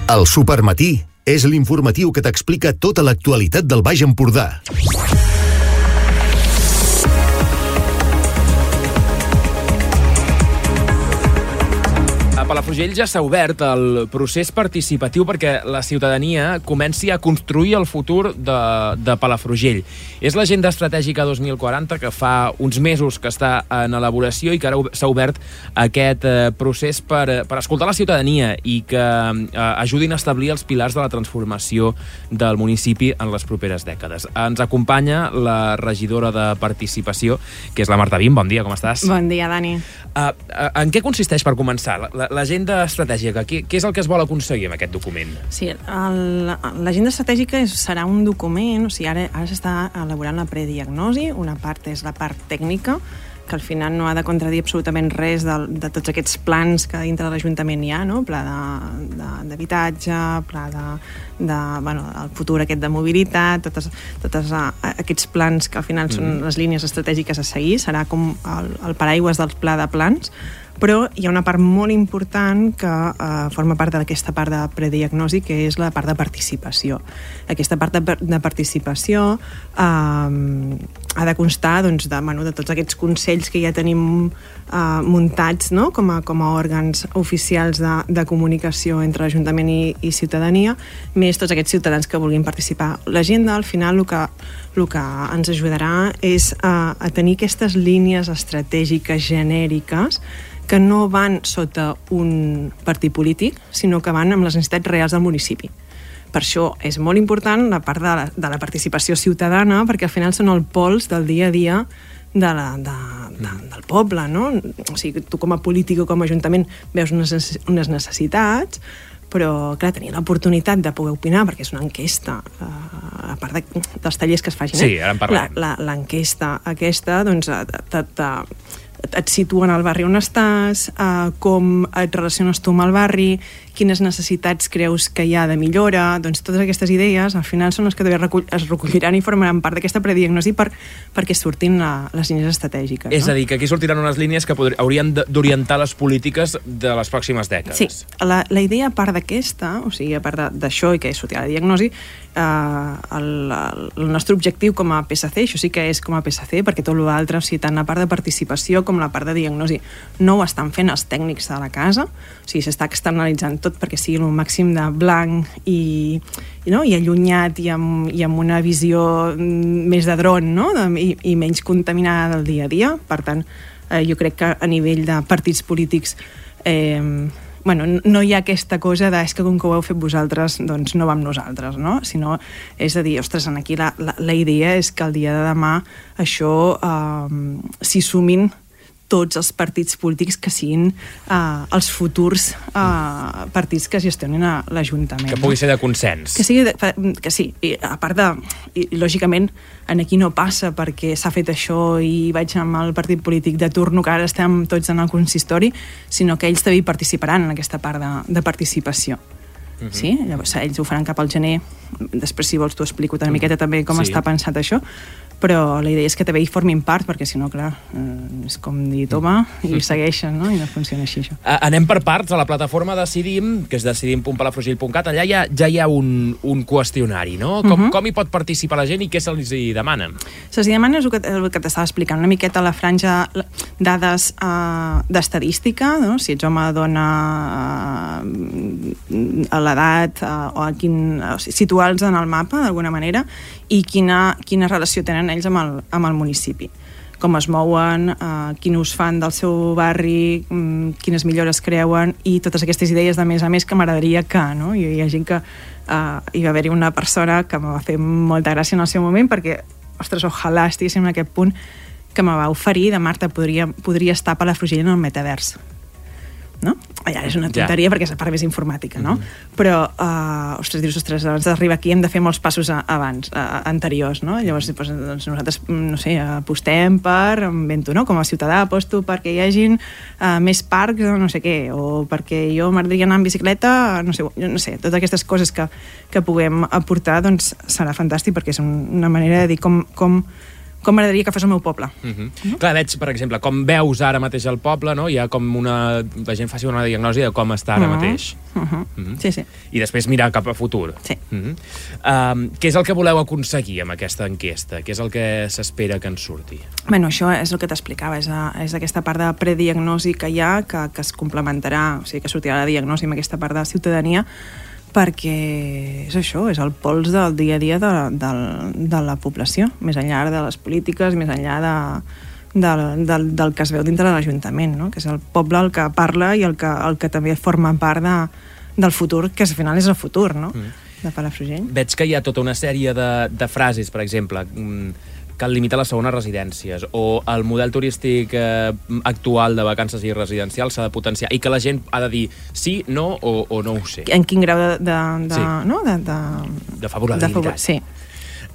El Supermatí és l'informatiu que t'explica tota l'actualitat del Baix Empordà. A Palafrugell ja s'ha obert el procés participatiu perquè la ciutadania comenci a construir el futur de Palafrugell. És l'Agenda Estratègica 2040 que fa uns mesos que està en elaboració i que ara s'ha obert aquest procés per escoltar la ciutadania i que ajudin a establir els pilars de la transformació del municipi en les properes dècades. Ens acompanya la regidora de Participació, que és la Marta Vim. Bon dia, com estàs? Bon dia, Dani. En què consisteix, per començar, l'agenda estratègica? Què és el que es vol aconseguir amb aquest document? Sí, l'agenda estratègica serà un document, o sigui, ara s'està elaborant la prediagnosi, una part és la part tècnica, que al final no ha de contradir absolutament res de tots aquests plans que dintre de l'Ajuntament hi ha, no? Pla d'habitatge, pla el futur aquest de mobilitat, tots aquests plans que al final són les línies estratègiques a seguir, serà com el paraigües del pla de plans, però hi ha una part molt important que forma part d'aquesta part de prediagnosi, que és la part de participació. Aquesta part de participació ha de constar de tots aquests consells que ja tenim muntats, no? com a òrgans oficials de comunicació entre l'Ajuntament i ciutadania, més tots aquests ciutadans que vulguin participar. L'agenda, al final, el que ens ajudarà és a tenir aquestes línies estratègiques genèriques que no van sota un partit polític, sinó que van amb les necessitats reals del municipi. Per això és molt important la part de la participació ciutadana, perquè al final són el pols del dia a dia del poble, no? O sigui, tu com a polític o com a ajuntament veus unes necessitats, però, clar, tenir l'oportunitat de poder opinar, perquè és una enquesta, a part dels tallers que es facin, Sí, ara en parlarem. L'enquesta aquesta, doncs, et situen al barri on estàs, com et relaciones tu amb el barri, quines necessitats creus que hi ha de millora, doncs totes aquestes idees al final són les que també es recolliran i formaran part d'aquesta prediagnosi perquè surtin les línies estratègiques. És a dir, que aquí sortiran unes línies que haurien d'orientar les polítiques de les pròximes dècades. Sí, la idea a part d'aquesta, o sigui, a part d'això i que sortirà la diagnosi, el nostre objectiu com a PSC, això sí que és com a PSC, perquè tot l'altre, o sigui, tant la part de participació com la part de diagnosi, no ho estan fent els tècnics de la casa, o sigui, s'està externalitzant tot perquè sigui el màxim de blanc i allunyat i amb una visió més de dron, no? I menys contaminada del dia a dia. Per tant, jo crec que a nivell de partits polítics no hi ha aquesta cosa de és que com que ho heu fet vosaltres, doncs no va amb nosaltres, no? Sinó, és a dir, ostres, aquí la idea és que el dia de demà això s'hi sumin tots els partits polítics que siguin els futurs partits que gestionen a l'Ajuntament. Que pugui ser de consens. Que sí, i a part i lògicament aquí no passa perquè s'ha fet això i vaig amb el partit polític de turno que ara estem tots en el consistori, sinó que ells també hi participaran en aquesta part de participació. Sí? Llavors ells ho faran cap al gener. Després, si vols, t'ho explico una miqueta també com està pensat això, però la idea és que també hi formin part, perquè si no, clar, és com dir, toma, i segueixen, no? I no funciona així, això. Anem per parts. A la plataforma Decidim, que és decidim.palafrugell.cat, allà ja hi ha un qüestionari, no? Com hi pot participar la gent i què se'ls demana? Se'ls demana el que t'estava explicant, una miqueta la franja dades d'estadística, no? Si ets home, dona, a l'edat, o situar-los en el mapa, d'alguna manera, i quina relació tenen ells amb el municipi. Com es mouen, quin ús fan del seu barri, quines millores creuen i totes aquestes idees de més a més que m'agradaria que, no? Hi ha gent que hi va haver-hi una persona que me va fer molta gràcia en el seu moment perquè, ostres, ojalà estiguéssim en aquest punt que me va oferir de Marta, podria estar a Palafrugell en el metavers. No? Ja és una tonteria perquè és la part més informàtica, no? Però, ostres, abans d'arribar aquí hem de fer molts passos anteriors, no? Llavors, doncs, nosaltres, no sé, apostem per, invento, no? Com a ciutadà aposto perquè hi hagin més parcs, no sé què, o perquè jo m'agradaria anar en bicicleta, no sé, totes aquestes coses que puguem aportar, doncs serà fantàstic perquè és una manera de dir com com m'agradaria que fos el meu poble. Clar, veig, per exemple, com veus ara mateix el poble, no? Hi ha com la gent faci una diagnosi de com està ara mateix. Sí, sí. I després mirar cap a futur. Sí. Què és el que voleu aconseguir amb aquesta enquesta? Què és el que s'espera que en surti? Bueno, això és el que t'explicava, és aquesta part de prediagnosi que hi ha, que es complementarà, o sigui, que sortirà la diagnosi amb aquesta part de ciutadania, perquè és això, és el pols del dia a dia de la població, més enllà de les polítiques, més enllà del que es veu dintre de l'Ajuntament, no? Que és el poble el que parla i el que també forma part del futur, que al final és el futur, no? De Palafrugell. Veig que hi ha tota una sèrie de frases, per exemple, que limita les segones residències, o el model turístic actual de vacances i residencials s'ha de potenciar, i que la gent ha de dir sí, no o no ho sé. En quin grau de favorabilitat. Sí.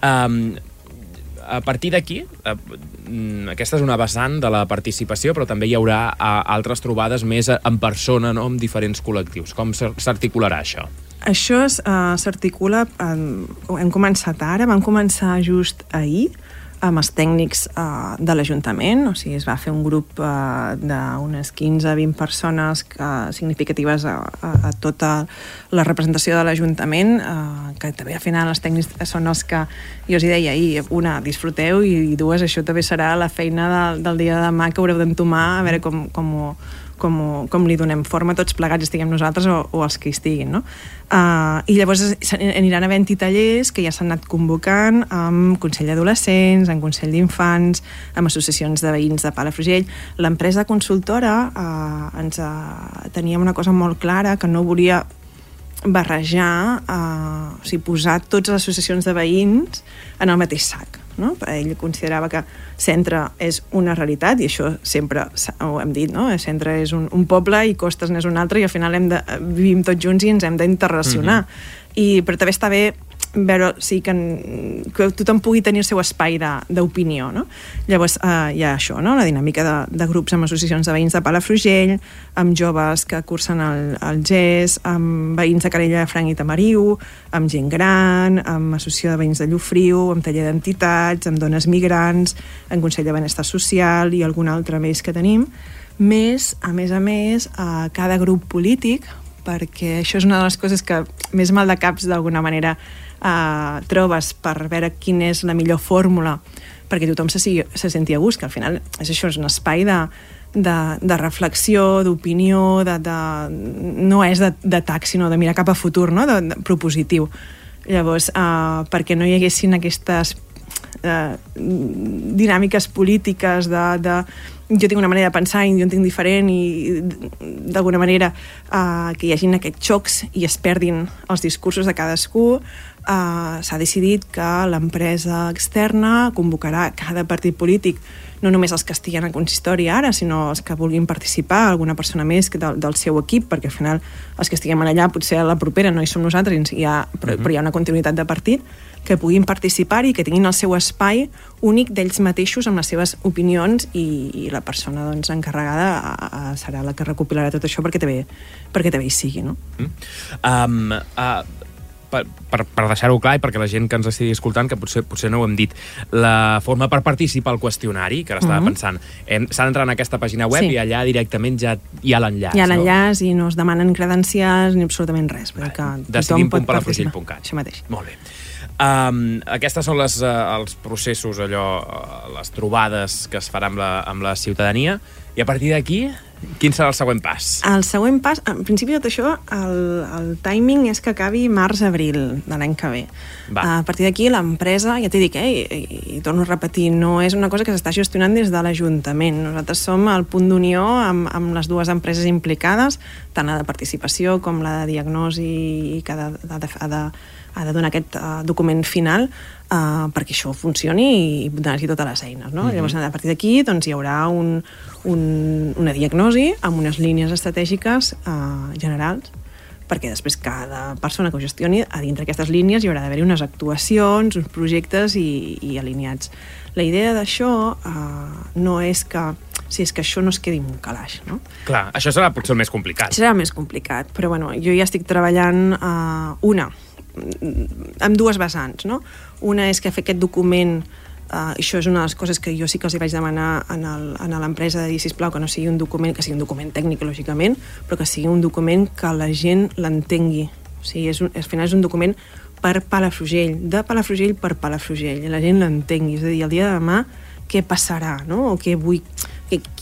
A partir d'aquí, aquesta és una vessant de la participació, però també hi haurà altres trobades més en persona, no?, amb diferents col·lectius. Com s'articularà això? Això s'articula, hem començat ara, vam començar just ahir, amb els tècnics de l'Ajuntament, o sigui, es va fer un grup d'unes 15-20 persones significatives a tota la representació de l'Ajuntament, que també al final els tècnics són els que jo us hi deia ahir, una, disfruteu, i dues, això també serà la feina del dia de demà que haureu d'entomar, a veure com li donem forma tots plegats, estiguem nosaltres o els que hi estiguin, no? I llavors aniran havent-hi tallers que ja s'han anat convocant amb Consell d'Adolescents, amb Consell d'Infants, amb associacions de veïns de Palafrugell. L'empresa consultora teníem una cosa molt clara, que no volia barrejar, o sigui, posar totes les associacions de veïns en el mateix sac, no? Ell considerava que Centre és una realitat, i això sempre ho hem dit, no? Centre és un poble i Costes n'és un altre, i al final vivim tots junts i ens hem d'interrelacionar. Però també està bé veure, sí, que tothom pugui tenir el seu espai d'opinió, no? Llavors hi ha això, no? La dinàmica de grups amb associacions de veïns de Palafrugell, amb joves que cursen el GES, amb veïns de Calella de Franc i Tamariu, amb gent gran, amb associació de veïns de Llofriu, amb taller d'entitats, amb dones migrants, amb Consell de Benestar Social i algun altre més que tenim, a més, cada grup polític, perquè això és una de les coses que més mal de caps d'alguna manera trobes per veure quina és la millor fórmula perquè tothom se senti a gust, que al final és això, és un espai de reflexió, d'opinió, no és d'atac, sinó de mirar cap a futur, no? De propositiu. Llavors, perquè no hi haguessin aquestes dinàmiques polítiques de jo tinc una manera de pensar i jo en tinc diferent, i d'alguna manera que hi hagin aquests xocs i es perdin els discursos de cadascú, s'ha decidit que l'empresa externa convocarà cada partit polític, no només els que estiguen al consistori ara, sinó els que vulguin participar, alguna persona més del seu equip, perquè al final els que estiguem allà potser a la propera no hi som nosaltres, però hi ha una continuïtat de partit, que puguin participar i que tinguin el seu espai únic d'ells mateixos amb les seves opinions, i la persona encarregada serà la que recopilarà tot això perquè també hi sigui, no? Per deixar-ho clar, i perquè la gent que ens estigui escoltant, que potser no ho hem dit, la forma per participar al qüestionari, que ara estava pensant, s'ha d'entrar en aquesta pàgina web, i allà directament ja hi ha l'enllaç. Hi ha l'enllaç, i no es demanen credencials ni absolutament res. Decidim.palafrugell.cat. Això mateix. Molt bé. Aquestes són els processos, les trobades que es faran amb la ciutadania, i a partir d'aquí, quin serà el següent pas? El següent pas, en principi tot això, el timing és que acabi març-abril de l'any que ve. A partir d'aquí l'empresa, ja t'he dit, i torno a repetir, no és una cosa que s'està gestionant des de l'Ajuntament. Nosaltres som el punt d'unió amb les dues empreses implicades, tant la de participació com la de diagnosi, que ha de donar aquest document final perquè això funcioni i donar-hi totes les eines, no? Llavors, a partir d'aquí hi haurà una diagnosi amb unes línies estratègiques generals, perquè després cada persona que ho gestioni, a dintre d'aquestes línies hi haurà d'haver-hi unes actuacions, uns projectes i alineats. La idea d'això no és que és que això no es quedi en un calaix, no? Clar, això serà potser el més complicat. Serà més complicat, però bueno, jo ja estic treballant amb dues vessants, no? Una és que fer aquest document això és una de les coses que jo sí que els vaig demanar a l'empresa, de dir, sisplau, que no sigui un document, que sigui un document tècnic, lògicament, però que sigui un document que la gent l'entengui. O sigui, al final és un document per Palafrugell, de Palafrugell per Palafrugell, i la gent l'entengui. És a dir, el dia de demà, què passarà, no? O què vull,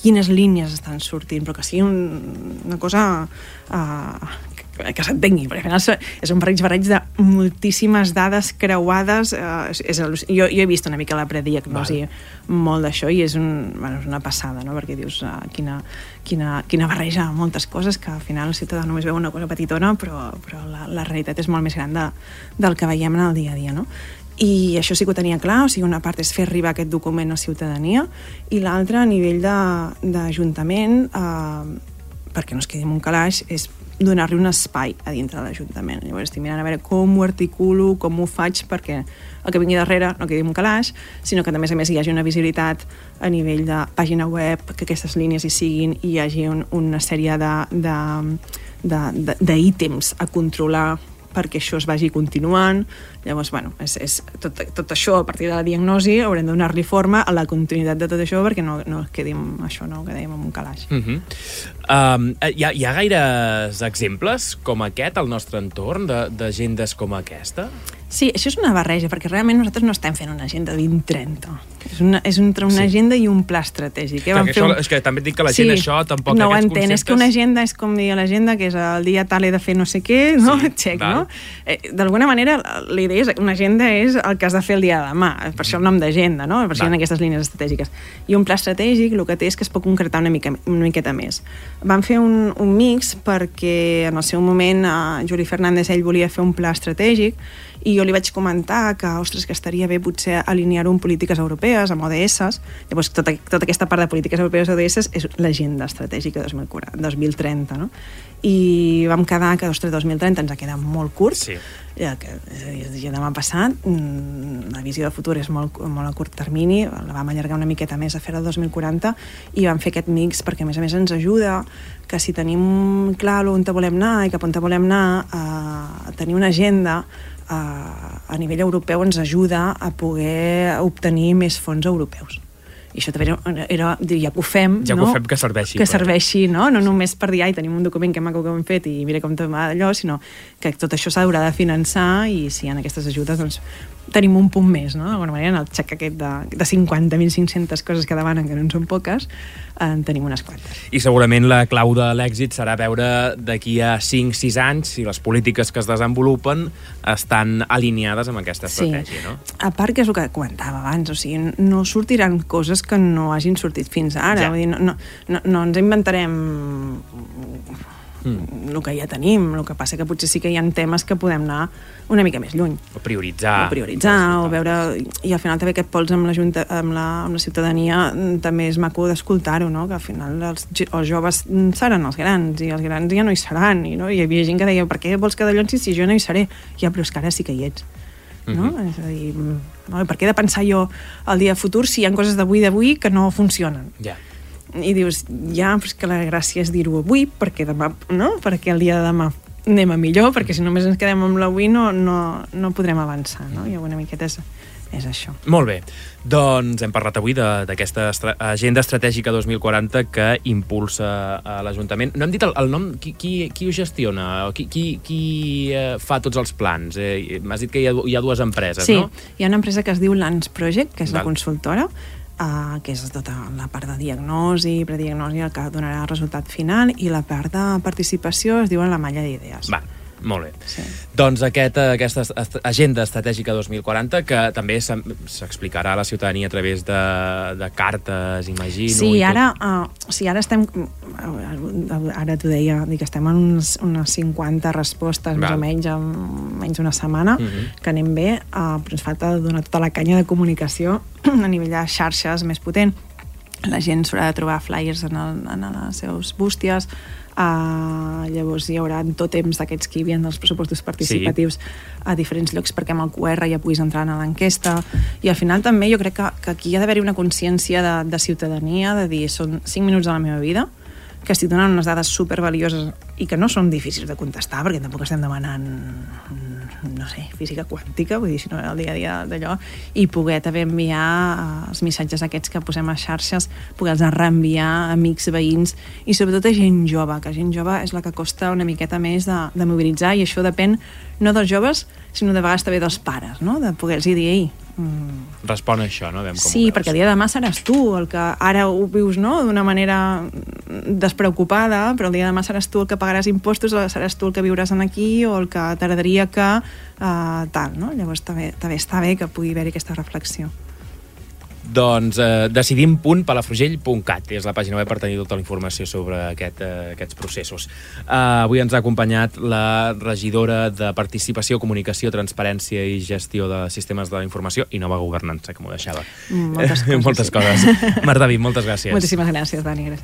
quines línies estan sortint, però que sigui una cosa que s'entengui, perquè al final és un barreig de moltíssimes dades creuades. Jo he vist una mica la prediagnosi molt d'això, i és una passada, no? Perquè dius quina barreja moltes coses, que al final el ciutadà només veu una cosa petitona, però la realitat és molt més gran del que veiem en el dia a dia, no? I això sí que ho tenia clar, o sigui, una part és fer arribar aquest document a la ciutadania, i l'altra, a nivell d'Ajuntament, perquè no es quedi en un calaix, és donar-li un espai a dintre de l'Ajuntament. Llavors estic mirant a veure com ho articulo, com ho faig perquè el que vingui darrere no quedi en un calaix, sinó que a més hi hagi una visibilitat a nivell de pàgina web, que aquestes línies hi siguin, i hi hagi una sèrie d'ítems a controlar perquè això es vagi continuant. Llavors, és tot això, a partir de la diagnosi, haurem de donar-li forma a la continuïtat de tot això, perquè no quedi això, no quedem en un calaix. Hi ha gaires exemples com aquest al nostre entorn, d'agendes com aquesta? Sí, això és una barreja, perquè realment nosaltres no estem fent una agenda 2030. És entre una agenda i un pla estratègic. És que també et dic que la gent això tampoc no aquests entén. És que una agenda és com dir a l'agenda que és el dia tal he de fer no sé què, no? Check, no? D'alguna manera, la idea és que una agenda és el que has de fer el dia de demà. Per això el nom d'agenda, no? Per això hi ha aquestes línies estratègiques. I un pla estratègic el que té és que es pot concretar una miqueta més. Vam fer un mix perquè en el seu moment Juli Fernández, ell volia fer un pla estratègic, i jo li vaig comentar que, ostres, que estaria bé potser alinear-ho amb polítiques europees, amb ODS. Llavors, tota aquesta part de polítiques europees i ODS és l'agenda estratègica 2030, no? I vam quedar que, ostres, 2030 ens ha quedat molt curt, ja demà passat, la visió de futur és molt a curt termini, la vam allargar una miqueta més a fer el 2040, i vam fer aquest mix perquè, a més ens ajuda que si tenim clar on volem anar i cap on volem anar, a tenir una agenda a nivell europeu ens ajuda a poder obtenir més fons europeus. I això també era ja que ho fem, que serveixi. Que serveixi, no només per dir, tenim un document que maco que hem fet i mira com tot va allò, sinó que tot això s'ha d'haurà de finançar, i si hi ha aquestes ajudes, doncs tenim un punt més, no? D'alguna manera, en el xec aquest de 50.500 coses que demanen, que no en són poques, en tenim unes quantes. I segurament la clau de l'èxit serà veure d'aquí a 5-6 anys si les polítiques que es desenvolupen estan alineades amb aquesta estratègia, no? A part, que és el que comentava abans, o sigui, no sortiran coses que no hagin sortit fins ara. Vull dir, no ens inventarem el que ja tenim. El que passa que potser sí que hi ha temes que podem anar una mica més lluny. O prioritzar, o veure... I al final també aquest pols amb la ciutadania també és maco d'escoltar-ho, no? Que al final els joves seran els grans, i els grans ja no hi seran, i hi havia gent que deia, per què vols que d'allons si jo no hi seré? Ja, però és que ara sí que hi ets. No? És a dir, per què he de pensar jo el dia futur si hi ha coses d'avui que no funcionen? I dius, però és que la gràcia és dir-ho avui, perquè demà, no? Perquè el dia de demà anem a millor, perquè si només ens quedem amb l'avui no podrem avançar, no? I una miqueta és això. Molt bé, doncs hem parlat avui d'aquesta agenda estratègica 2040 que impulsa l'Ajuntament. No hem dit el nom, qui ho gestiona? Qui fa tots els plans? M'has dit que hi ha dues empreses, no? Sí, hi ha una empresa que es diu Lans Project, que és la consultora, que és tota la part de diagnosi, prediagnosi, el que donarà el resultat final, i la part de participació es diu la malla d'idees. Molt bé. Doncs aquesta agenda estratègica 2040, que també s'explicarà a la ciutadania a través de cartes, imagino. Sí, ara estem... Ara t'ho deia, que estem en unes 50 respostes, més o menys, en menys d'una setmana, que anem bé, però ens falta donar tota la canya de comunicació a nivell de xarxes més potent. La gent s'haurà de trobar flyers en les seves bústies. Llavors hi haurà tot temps d'aquests que hi havia dels pressupostos participatius a diferents llocs, perquè amb el QR ja puguis entrar a l'enquesta, i al final també jo crec que aquí hi ha d'haver-hi una consciència de ciutadania, de dir, són 5 minuts de la meva vida que estic donant unes dades supervalioses i que no són difícils de contestar, perquè tampoc estem demanant, no sé, física quàntica, vull dir, sinó el dia a dia d'allò, i poder també enviar els missatges aquests que posem a xarxes, poder-los reenviar a amics, veïns, i sobretot a gent jove, que gent jove és la que costa una miqueta més de mobilitzar, i això depèn no dels joves, sinó de vegades també dels pares, no? De poder-los dir, ei, respon a això, no? Sí, perquè el dia de demà seràs tu, el que ara ho vius, no?, d'una manera despreocupada, però el dia de demà seràs tu el que pagaràs impostos, seràs tu el que viuràs aquí o el que t'agradaria que tal, no? Llavors també està bé que pugui haver-hi aquesta reflexió. Doncs decidim.palafrugell.cat és la pàgina web per tenir tota la informació sobre aquests processos. Avui ens ha acompanyat la regidora de Participació, Comunicació, Transparència i Gestió de Sistemes de la Informació i Nova Governança, que m'ho deixava. Moltes coses. Moltes coses. Marta Vip, moltes gràcies. Moltíssimes gràcies, Dani. Gràcies.